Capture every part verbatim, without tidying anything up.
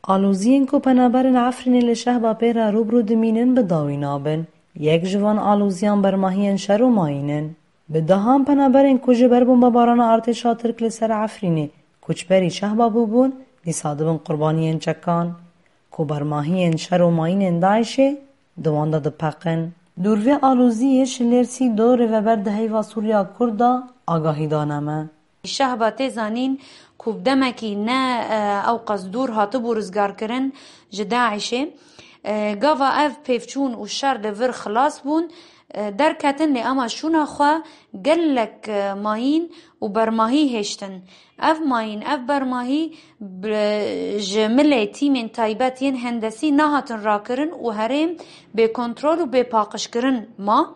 Aloziyên ku penaberên Efrînê li Şehba pê re rû bi rû dimînin bi dawî nabin. Yek ji van aloziyan bermahiyên şer û mayîn in. Bi dehan penaberên ku ji ber bombebarana artêşa Tirk li ser Efrînê koçberî Şehba bûbûn, dîsa dibin qurbaniyên çekan. Ku bermahiyên şer û mayînên DAIŞê di wan de dipeqin. Dûr vê aloziyê Şilêr Sîdo, rêveber di Heyva Sûriya Kurd de agahî dane me. Şehba tê zanîn ku bi demekî ne, e, ew qas dûr hatibû rizgarkirin ji DAIŞê. E, gava ev pêvçûn û şer li vir xilas bûn, e, derketin, lê ema şûna xwe gelek, e, mayîn û bermahî hêştin. Ev mayîn, ev bermahî bi, ji milê tîmên taybet yên hendesî nehatin rakirin û herêm bêkontrol û bêpaqijkirin ma.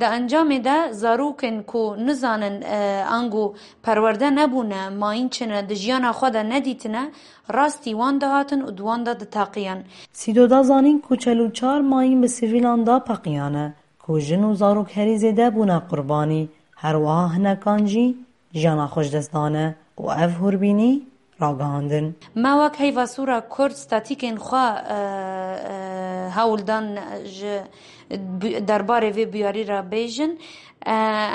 Di encamê de zarokên ku nizanin, e, ango perwerde nebûne, mayîn çi ne, di jiyana xwe de nedîtine, rastî wan dihatin û di wan de diteqiyan. Sîdo da zanîn ku çel û çar mayîn bi sivîlan da peqiyane, ku jin û zarok herî zêde bûne qurbanî, her wiha hinekan jî jiyana xwe ji dest dane û ev hûrbînî ragihandin. Me wek Heyva Sûra Kurd statîkên xwe, e, e, hewl dan ji bi-, derbarê vê bûyerî re bêjin. E,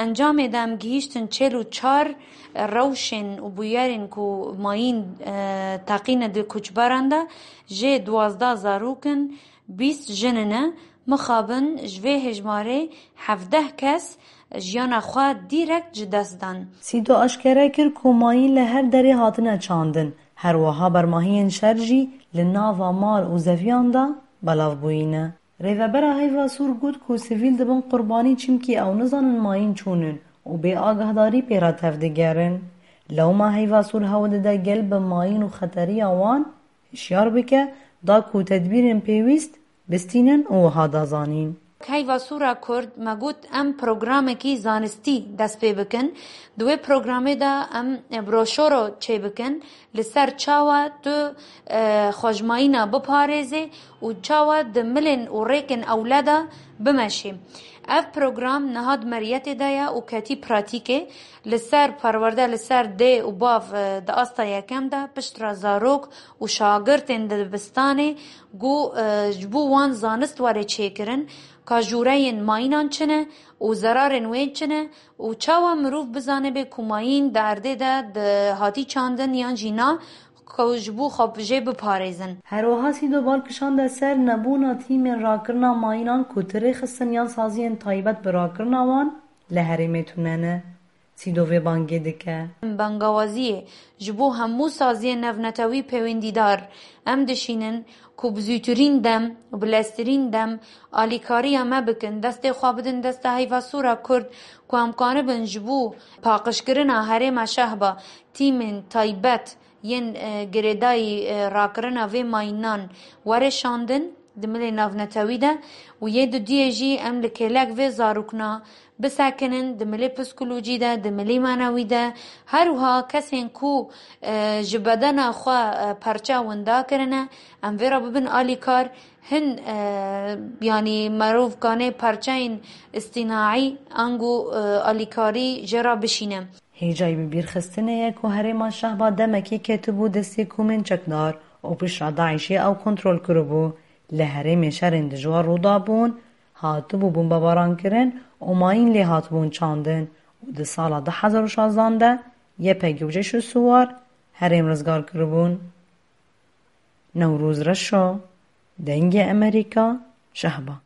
encamê de em gihîştin çêl û çar rewşên û bûyerên ku mayîn, e, teqîne di koçberan de jê duwazdeh zarok in, bîst jin in. Mixabin ji vê hejmarê hevdeh kes jiyana xwe dîrekt ji dest dan. Sîdo aşkere kir ku mayîn li her derê hatine çandin, her wiha bermahiyên şer jî li nava mal û zeviyan de belav bûyîne. Rêvebera Heyva Sûr got ku sivîl dibin qurbanî, çimkî ew nizanin mayîn çûn in û bê agahdarî pê re tevdigerin. Lewma Heyva Sûr hewl dide gel bi mayîn û xeteriya wan hişyar bike, da ku tedbîrên pêwîst bistînin û wiha da zanîn. Heyva Sûra Kurd me got, em programekî zanistî dest pê bikin. Di wê programê de em broşoro çêbikin li ser çawa tu, e, xwejmayîna biparêzê û çawa di milên û rêkên ewle de bimeşê. Ev program niha di meriyetê de ye û ketî pratîkê. Li ser perwerde, li ser dê û bav, e, di asta yekem de piştre zarok û şagirtên dibistanê ku, e, ji bo wan zanist were çêkirin, ka jûreyên mayînan çi ne û zerarên wê çi ne û çawa mirov bizanibe ku mayîn di erdê de di hatî çandin yan jî na, ku ji bo xwe jê biparêzin. Her wiha Sîdo bal kişande ser nebûna tîmên rakirina mayînan ku ti rêxistin yan saziyên taybet bi rakirina wan li herêmê tune ne. Sîdo vê bangê dike. Bangawaziyê ji bo hemû saziyên navnetewî pêwendîdar, em dişînin ku bi zûtirîn dem û bi leztirîn dem alîkariya me bikin, destê xwe bidin desta Heyva Sûra Kurd, ku em kanibin ji bo paqijkirina herêma Şehba tîmên taybet yên, e, girêdayî, e, rakirina vê mayînan were şandin di milê navnetewî de û yê dudiyê jî em li kêlek vê zarokna bisekinin di milê psîkolojî de, di milê manewî de. Her wiha kesên ku, e, ji bedena xwe, e, perçe winda kirine, em vê re bibin alîkar. Hin, e, yanî merov kanê perçeyên îstînaî ango, e, alîkarî jê re bişîne. Hêjayî bibîrxistinê ye ku herêma Şehba demekê ketibû destê komên çekdar û piştre DAIŞê ew kontrol kiribû. Li herêmê şerên dijwar rû dabûn, hatibû bombebarankirin û mayîn lê hatibûn çandin û di sala du hezar û şazdan de YPG û Ceyşu Siwar herêm rizgar kiribûn. Newroz Reşo, Dengê Emerîka, Şehba.